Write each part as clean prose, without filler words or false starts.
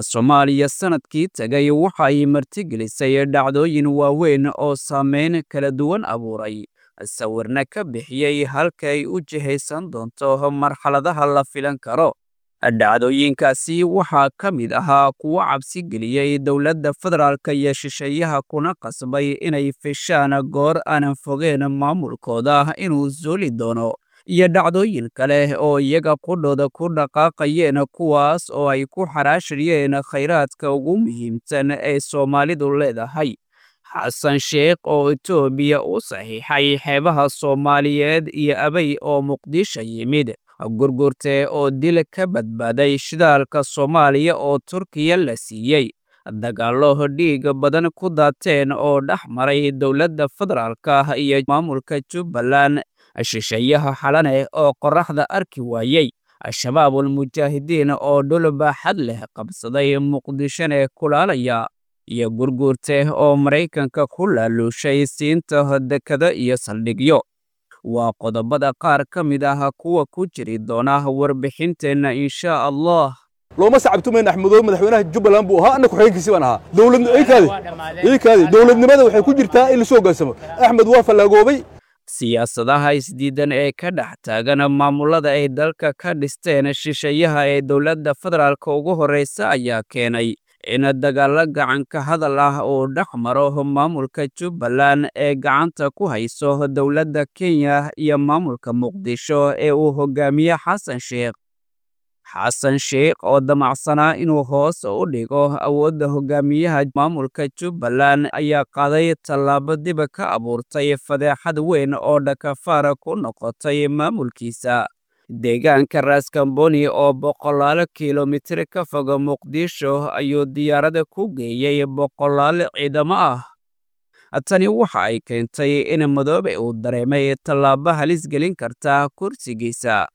Soomaaliya sanadkii tagay waxa ay martigelisay dhacdooyin waaweyn oo saameyn kala duwan abuuray, sawirna ka bixiyay halka ay u jihaysan doonto marxaladaha la filan karo. Dhacdooyinkaasi waxaa ka mid ahaa kuwo cabsi geliyay dowladda federaalka iyo shisheeyaha, kuna qasbay inay fishaan goor aanan fogeen maamulkooda inuu zuuli doono, iyo dhacdooyin kale oo iyaga qudhooda ku dhaqaaqayeen, kuwaas oo ay ku xaraashayeen khayraadka ugu muhiimsan ee Soomaalidu leedahay. Xasan Sheikh oo Itoobiya u saxiixay xeebaha Soomaaliyeed iyo Abiy oo Muqdisho yimid, Gurgurte oo dil ka badbaaday, shidaalka Soomaaliya oo Turkiya la siiyey, dagaallo dhiig badan ku daateen oo dhex maray dowladda federaalka iyo maamulka Jubbaland, shisheeyaha Xalane oo qorraxda arki waayey, Shabaabul Mujaahidiin oo dhul baaxad leh qabsaday Muqdishona kulaalaya, iyo Gurgurte oo Maraykanka ku laaluushay siinta dekado iyo saldhigyo. Waa qodobada qaar ka mid ah kuwa ku jiri doona warbixinteenna, insha Allah. Looma sacabtumayn. Axmedoobe madaxweynaha Jubbaland buu ahaa, anna ku-xigeenkiisii baan ahaa. Dowladikaadi dowladnimada waxay ku jirtaa in lasoo hoggaansamo. Axmed waa fallaagoobay. Siyaasadaha isdiidan ee ka dhex taagan maamulada ay dalka ka dhisteen shisheeyaha ee dowladda federaalka ugu horreysa ayaa keenay in dagaallo gacan ka hadal ah uu dhex maro maamulka Jubbaland ee gacanta ku hayso dowladda Kenya iyo maamulka Muqdisho ee uu hogaamiye Xasan Sheikh. Xasan Sheikh oo damacsanaa inuu hoos u dhigo awoodda hogaamiyaha maamulka Jubbaland ayaa qaaday tallaabo dib ka abuurtay fadeexad weyn oo dhakafaar ku noqotay maamulkiisa. Deegaanka Raskamboni oo boqolaal kiilomitir ka fog Muqdisho ayuu diyaarad ku geeyey boqolaal ciidamo ah. Tani waxa ay keentay in Madoobe uu dareemay tallaabo halis gelin karta kursigiisa,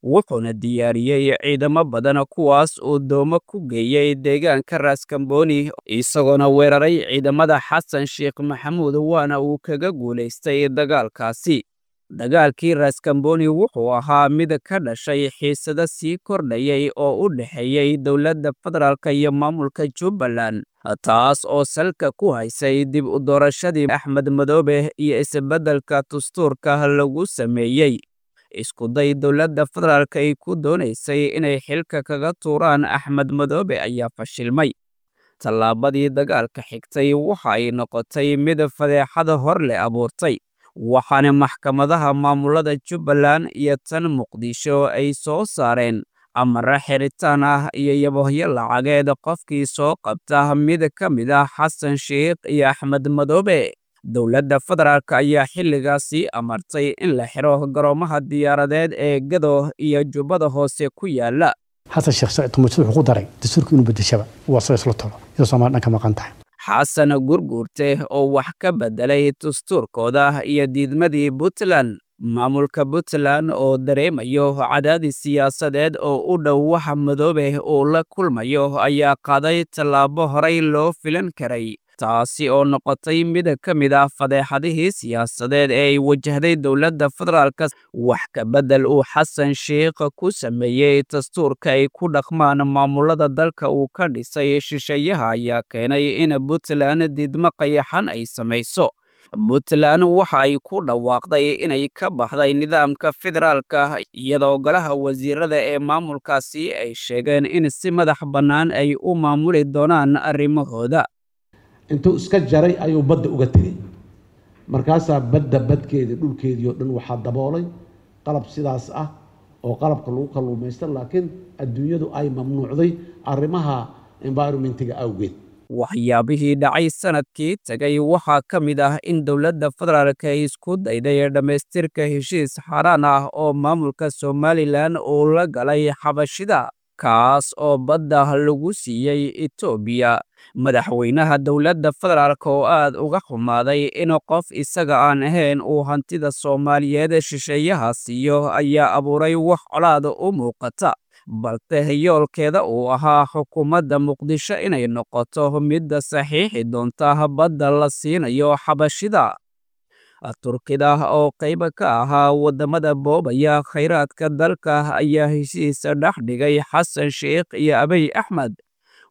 wuxuuna diyaariyey ciidamo badan, kuwaas uu doomo ku geeyey deegaanka Raskamboni, isagoona weeraray ciidamada Xasan Sheikh Maxamuud, waana uu kaga guulaystay dagaalkaasi. Dagaalkii Raskamboni wuxuu ahaa mid ka dhashay xiisado sii kordhayay oo u dhexeeyey dowladda federaalka iyo maamulka Jubbaland, taas oo salka ku haysay dib u doorashadii Axmed Madoobe iyo isbeddelka dastuurka lagu sameeyey. Isku day dowladda federaalka ay ku doonaysay inay xilka kaga tuuraan Axmed Madoobe ayaa fashilmay. Tallaabadii dagaalka xigtay waxa ay noqotay mid fadeexad hor leh abuurtay, waxaana maxkamadaha maamulada Jubbaland iyo tan Muqdisho ay soo saareen amarro xiritaan ah iyo yabohyo lacageed qofkii soo qabta mid ka mid ah Xasan Sheikh iyo Axmed Madoobe. Dowladda federaalka ayaa xilligaasi amartay in la xiro garoomaha diyaaradeed ee Gado iyo Jubbada Hoose ku yaala. Xasan Sheekh Saciid Tumuujid wuxuu ku daray dastuurka inuu bedeshaba waa soo isla tolo iyadoo Soomaali dhan ka maqan tahay. Xasan Gurguurte oo wax ka bedelay dastuurkooda iyo diidmadii Puntland. Maamulka Puntland oo dareemayo cadaadis siyaasadeed oo u dhow waxa Madoobe uu la kulmayo ayaa qaaday tallaabo horay loo filan karay, taasi oo noqotay mid ka mid ah fadeexadihii siyaasadeed ee ay wajahday dowladda federaalka. Wax ka bedel uu Xasan Sheikh ku sameeyey dastuurka ay ku dhaqmaan maamulada dalka uu ka dhisay shisheeyaha ayaa keenay in Puntland diidmo qayaxan ay samayso. Puntland waxa ay ku dhawaaqday inay ka baxday nidaamka federaalka, iyadoo golaha wasiirada ee maamulkaasi ay sheegeen in si madax bannaan ay u maamuli doonaan arrimahooda. Intuu iska jaray ayuu badda uga tegey. Markaasaa badda badkeedii dhulkeedii oo dhan waxaa daboolay qalab sidaas ah oo qalabka lagu kalluumaysta, laakiin adduunyadu ay mamnuucday arrimaha environmentiga awgeed. Waxyaabihii dhacay sanadkii tagay waxaa ka mid ah in dowladda federaalka ay isku dayday dhammaystirka heshiis xaaraan ah oo maamulka Somalilan uu la galay Xabashida, kaas oo badda lagu siiyey Itoobiya. Madaxweynaha dowladda federaalka oo aad uga xumaaday in qof isaga aan ahayn uu hantida Soomaaliyeed shisheeyaha siiyo ayaa abuuray wax colaad u muuqata, balse yoolkeeda uu ahaa xukuumadda Muqdisho inay noqoto midda saxiixi doonta badda la siinayo Xabashida. Turkida oo qayb ka ahaa waddamada boobaya khayraadka dalka ayaa heshiis dhex dhigay Xasan Sheikh iyo Abiy Axmed,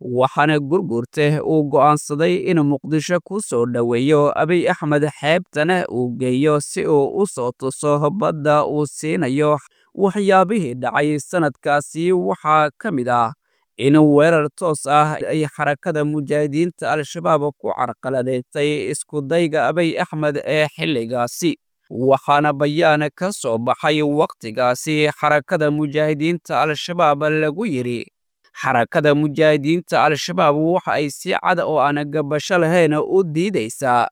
Waxaana Gurgurte uu go'aansaday in Muqdisho ku soo dhoweeyo Abiy Axmed, xeebtana uu geeyo si uu u soo tuso badda uu siinayo. Waxyaabihii dhacay sanadkaasi waxaa ka mid ah in weerar toos ah ay Xarakada Mujaahidiinta Al-Shabaab ku carqaladeysay isku dayga Abiy Axmed ee xilligaasi. Waxaana bayaan ka soo baxay wakhtigaasi Xarakada Mujaahidiinta Al-Shabaab lagu yidhi: Xarakada Mujaahidiinta Al-Shabaab waxa ay si cad oo aan gabasho lahayn u diidaysaa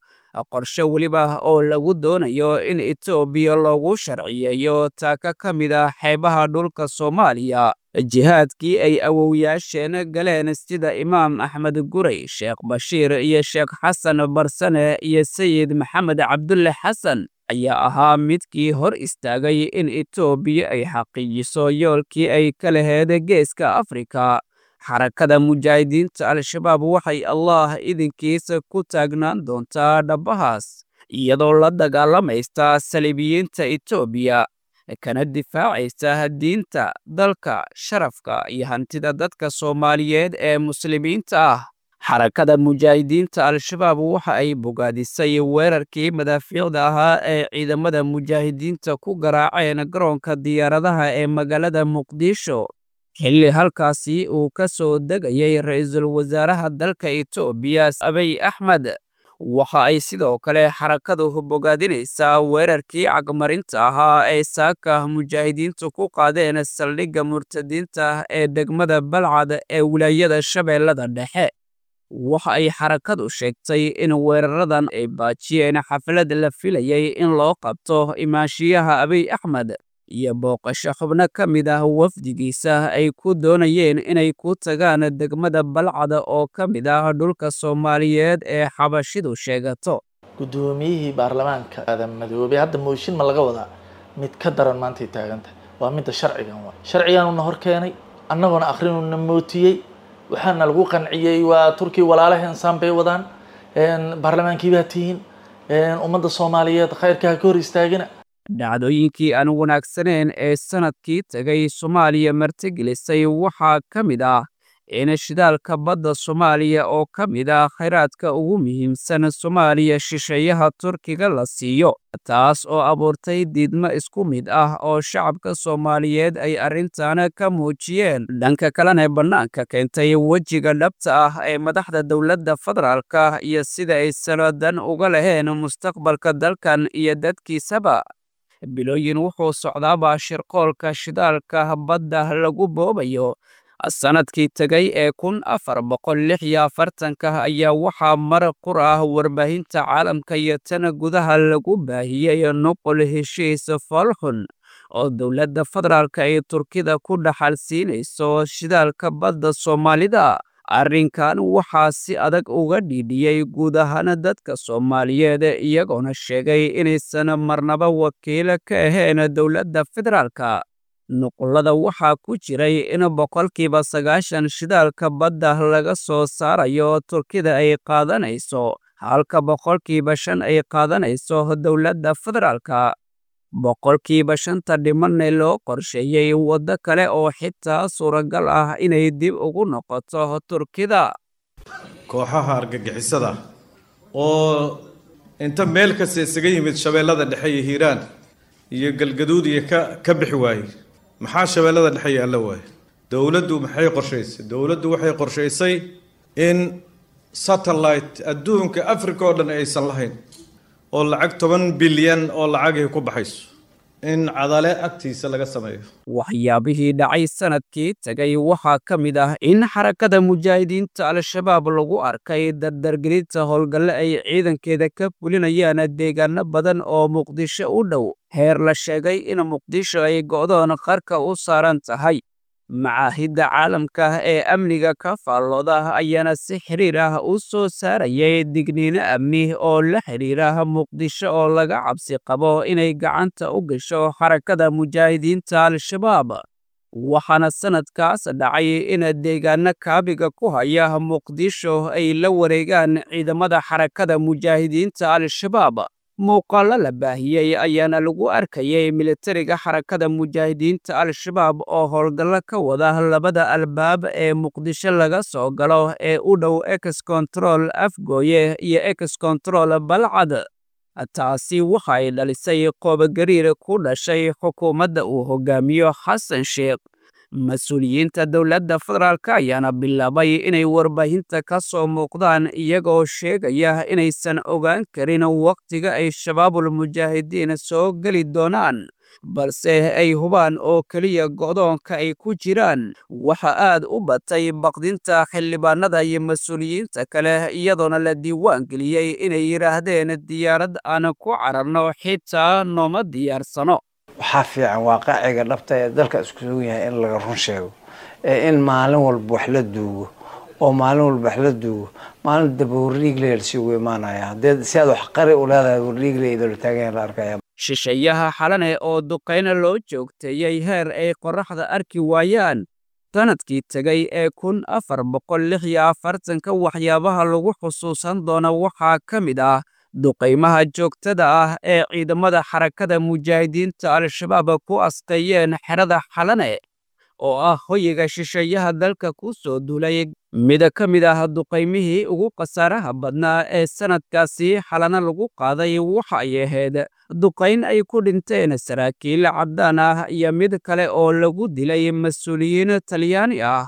qorshe weliba oo lagu doonayo in Itoobiya loogu sharciyeeyo taaka ka mid ah xeebaha dhulka Soomaaliya. Jihaadkii ay awowyaasheen galeen sida Imaam Axmed Gurey, Sheekh Bashiir iyo Sheekh Xasan Barsane iyo Sayid Maxamed Cabdulle Xasan ayaa ahaa midkii hor istaagay in Itoobiya ay xaqiijiso yoolkii ay ka lahayd Geeska Afrika. Xarakada Mujaahidiinta Al-Shabaab waxay Allah idinkiisa ku taagnaan doontaa dhabbahaas, iyadoo la dagaalamaysa saliibiyiinta Itoobiya, kana difaacaysa diinta, dalka, sharafka iyo hantida dadka Soomaaliyeed ee Muslimiinta ah. Xarakada Mujaahidiinta Al-Shabaab waxa ay bogaadisay weerarkii madaafiicda ahaa ee ciidamada mujaahidiinta ku garaaceen garoonka diyaaradaha ee magaalada Muqdisho, xilli halkaasi uu ka soo degayay ra'iisul wasaaraha dalka Itoobiya Abiy Axmed. Waxa ay sidoo kale xarakadu bogaadinaysaa weerarkii cagmarinta ahaa ee saaka mujaahidiintu ku qaadeen saldhigga murtadiinta ee degmada Balcad ee wilaayada Shabeellada Dhexe. Waxa ay xarakadu sheegtay in weeraradan ay baajiyeen xaflad la filayay in loo qabto imaanshiyaha Abiy Axmed iyo booqasho xubno ka mid ah wafdigiisa ay ku doonayeen inay ku tagaan degmada Balcad oo ka mid ah dhulka Soomaaliyeed ee Xabashidu sheegato. Guddoomiyihii baarlamaanka Aadan Madoobe hadda mooshin ma laga wadaa? Mid ka daran maantay taagantahay waa midda sharcigan. Waa sharciganuna hor keenay, annagoona akhrinuna mootiyey, waxaana lagu qanciyey waa Turkiya walaalaheen saan bay wadaan, baarlamaankii baa tihiin, ummadda Soomaaliyeed khayrka ha ka hor istaagina. Dhacdooyinkii aan wanaagsaneyn ee sanadkii tagay Soomaaliya martigelisay waxaa ka mid ah in shidaalka badda Soomaaliya oo ka mid ah kheyraadka ugu muhiimsan Soomaaliya shisheeyaha Turkiga la siiyo, taas oo abuurtay diidmo isku mid ah oo shacabka Soomaaliyeed ay arrintan ka muujiyeen. Dhanka kalena bannaanka keentay wejiga dhabta ah ee madaxda dowladda federaalka iyo sida ay sanadan uga lahayn mustaqbalka dalkan iyo dadkiisaba. Bilooyin wuxuu socdaaba shirqoolka shidaalka badda lagu boobayo. Sanadkii tagay ee 1446-ka ayaa waxaa mar qur ah warbaahinta caalamka iyo tan gudaha lagu baahiyey nuqul heshiis foolxun oo dowladda federaalka ay Turkida ku dhaxal siinayso shidaalka badda Soomaalida. Arrinkan waxaa si adag uga dhiidhiyey guud ahaan dadka Soomaaliyeed, iyagoona sheegay inaysan marnaba wakiil ka ahayn dowladda federaalka. Nuqullada waxaa ku jiray in 90% shidaalka badda laga soo saarayo Turkida ay qaadanayso, halka 5% ay qaadanayso dowladda federaalka. 5%-ta dhimanna loo qorsheeyey waddo kale oo xitaa suuragal ah inay dib ugu noqoto Turkida. Kooxaha argagixisada oo inta meel kasta isaga yimid Shabeellada Dhexe iyo Hiiraan iyo Galgaduud iyo ka bixi waayey, maxaa Shabeellada Dhexe iyo alla waayey? Dowladdu maxay qorshaysay? Dowladdu waxay qorshaysay in satellite adduunka Africa oo dhan aysan lahayn oo lacag 10 bilyan oo lacagay ku baxayso in Cadale agtiisa laga sameeyo. Waxyaabihii dhacay sanadkii tagay waxaa ka mid ah in Xarakada Mujaahidiinta Al-Shabaab lagu arkay dardargelinta howlgalle ay ciidankeeda ka fulinayaan deegaano badan oo Muqdisho u dhow, heer la sheegay in Muqdisho ay go'doon qarka u saaran tahay. Macaahidda caalamka ee amniga ka faallooda ayaana si xiriir ah u soo saarayay digniino amni oo la xiriira Muqdisho oo laga cabsi qabo inay gacanta u gasho Xarakada Mujaahidiinta Al-Shabaab. Waxaana sanadkaas dhacay in deegaano kaabiga ku haya Muqdisho ay la wareegaan ciidamada Xarakada Mujaahidiinta Al-Shabaab. Muuqaallo la baahiyey ayaana lagu arkayay militariga Xarakada Mujaahidiinta Al-Shabaab oo howlgallo ka wada labada albaab ee Muqdisho laga soo galo ee u dhow Ex Control Afgooye iyo Ex Control Balcad. Taasi waxa ay dhalisay qoobgariir ku dhashay xukuumadda uu hogaamiyo Xasan Sheekh. Mas-uuliyiinta dowladda federaalka ayaana bilaabay inay warbaahinta ka soo muuqdaan iyagoo sheegaya inaysan ogaan karin wakhtiga ay Shabaabul Mujaahidiin soo geli doonaan, balse ay hubaan oo keliya go'doonka ay ku jiraan. Waxa aad u batay baqdinta xildhibaanada iyo mas-uuliyiinta kale, iyadoona la diiwaan geliyey inay yidhaahdeen diyaarad aan ku cararno xitaa nooma diyaarsano. Waxaa fiican waaqaciga dhabta ee dalka isku sugan yahay in laga run sheego, ee in maalin walba wax la duugo oo maalin walba wax la duugo, maalin daba wardhiigle isugu imaanaya. Haddii si aad wax qari u leedahay, wardhiigle idoola taagan la arkaya. Shisheeyaha Xalane oo duqayna loo joogteeyey heer ay qorraxda arki waayaan. Sanadkii tegay ee 1446-ka waxyaabaha lagu xusuusan doono waxaa ka mid ah duqaymaha joogtada ah ee ciidamada Xarakada Mujaahidiinta Al-Shabaab ku asqeeyeen xerada Xalane oo ah hoyiga shisheeyaha dalka ku soo duulay. Mid ka mid ah duqaymihii ugu khasaaraha badnaa ee sanadkaasi Xalane lagu qaaday waxa ay ahayd duqayn ay ku dhinteen saraakiil caddaan ah iyo mid kale oo lagu dilay mas-uuliyiin Talyaani ah.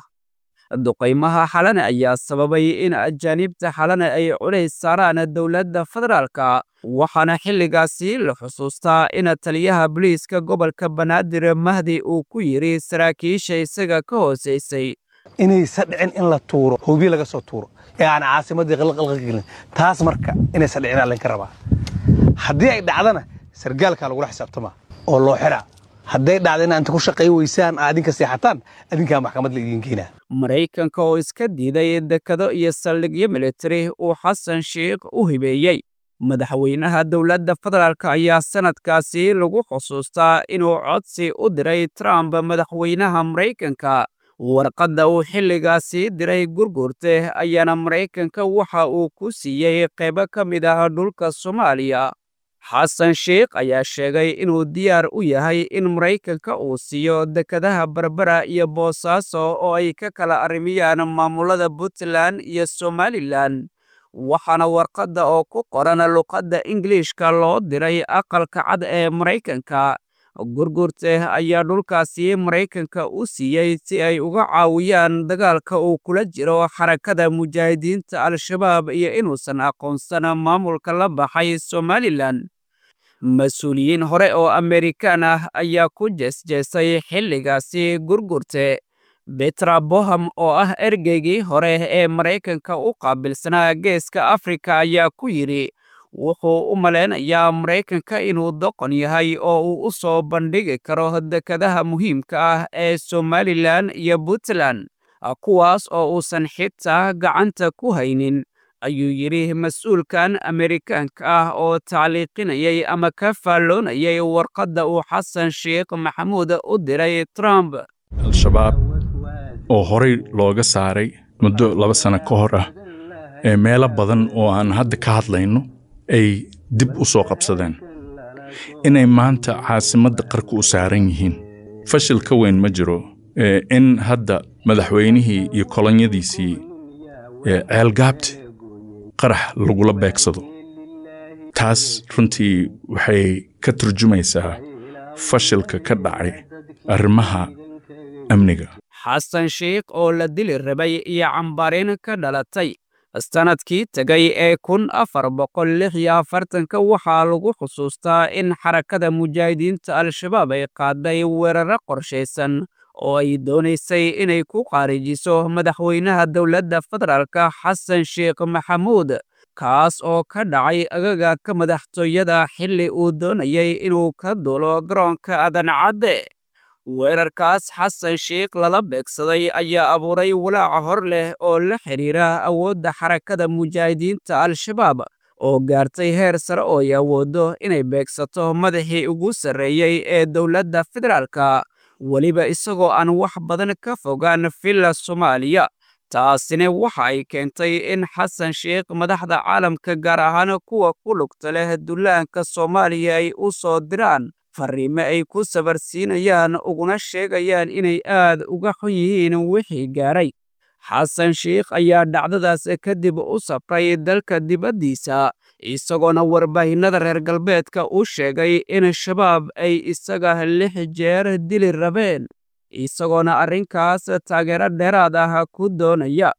Duqaymaha Xalane ayaa sababay in ajaanibta Xalane ay culays saaraan dowladda federaalka, waxaana xilligaasi la xusuustaa in taliyaha booliiska gobolka Banaadir Mahdi uu ku yidhi saraakiisha isaga ka hooseysay inaysa dhicin in la tuuro hoobiye laga soo tuuro ee aan caasimadii qalqalqa gelin. Taas marka inaysa dhicin aa laynka rabaa. Haddii ay dhacdana sargaalkaa lagula xisaabtamaa oo loo xiraa. Hadday dhacda in inta ku shaqay weysaan aa adinka seexataan, adinkaa maxkamad la idiin keenaa. Maraykanka oo iska diiday dekado iyo saldhigyo militari uu Xasan Sheikh u hibeeyey. Madaxweynaha dowladda federaalk ayaa sanadkaasi lagu xusuustaa inuu codsi u diray Trump, madaxweynaha Maraykanka. Warqadda uu xilligaasi diray Gurgurte ayaana Maraykanka waxa uu ku siiyey qaybo ka mid ah dhulka Soomaaliya. Xasan Sheikh ayaa sheegay inuu diyaar u yahay in Maraykanka uu siiyo dekadaha Berbera iyo Boosaaso oo ay ka kala arrimiyaan maamulada Puntland iyo Somalilan, waxaana warqadda oo ku qoran luqadda Ingiliishka loo diray Aqalka Cad ee Maraykanka. Gurgurte ayaa dhulkaasi Maraykanka u siiyey si ay uga caawiyaan dagaalka uu kula jiro Xarakada Mujaahidiinta Al-Shabaab iyo inuusan aqoonsan maamulka la baxay Somalilan. Mas-uuliyiin hore oo Amerikaan ah ayaa ku jeesjeesay xilligaasi Gurgurte. Betra Boham oo ah ergeygii hore ee Maraykanka u qaabilsanaa Geeska Afrika ayaa ku yidhi wuxuu u malaynayaa Maraykanka inuu doqon yahay oo uu u soo bandhigi karo dekadaha muhiimka ah ee Somalilan iyo Puntland, kuwaas oo uusan xitaa gacanta ku haynin, ayuu yidhi mas-uulkan Amerikaanka ah oo tacliiqinayay ama ka faalloonayay warqadda uu Xasan Sheikh Maxamuud u diray Trump. Al-Shabaab oo horey looga saaray muddo 2 sano ka hor ah ee meelo badan oo aan hadda ka hadlayno ay dib u soo qabsadeen, inay maanta caasimadda qarka u saaran yihiin, fashil ka weyn ma jiro. In hadda madaxweynihii iyo kolonyadiisii Ceelgaabti qarax lagula beegsado, taas runtii waxay ka turjumaysaa fashilka ka dhacay arrimaha amniga. Xasan Sheikh oo la dili rabay iyo cambaareen ka dhalatay. Sanadkii tegay ee 1446-ka waxaa lagu xusuustaa in Xarakada Mujaahidiinta Al-Shabaab ay qaaday weeraro qorshaysan oo ay doonaysay inay ku qaarijiso madaxweynaha dowladda federaalka Xasan Sheikh Maxamuud, kaas oo ka dhacay agagaarka madaxtooyada xilli uu doonayay inuu ka duulo garoonka Aadan Cadde. Weerarkaas Xasan Sheikh lala beegsaday ayaa abuuray walaaca hor leh oo la xiriira awoodda Xarakada Mujaahidiinta Al-Shabaab oo gaartay heer sare oo ay awooddo inay beegsato madaxii ugu sarreeyey ee dowladda federaalka, weliba isagoo aan wax badan ka fogaan Villa Soomaaliya. Taasina waxa ay keentay in Xasan Sheikh madaxda caalamka, gaar ahaan kuwa ku lugta leh dullaanka Soomaaliya, ay u soo diraan fariimo ay ku sabarsiinayaan uguna sheegayaan inay aad uga xun yihiin wixii gaaray. Xasan Sheikh ayaa dhacdadaas kadib u safray dalka dibaddiisa, isagoona warbaahinada reer galbeedka u sheegay in Shabaab ay isaga 6 jeer dili rabeen, isagoona arrinkaas taageero dheeraad ah ku doonaya.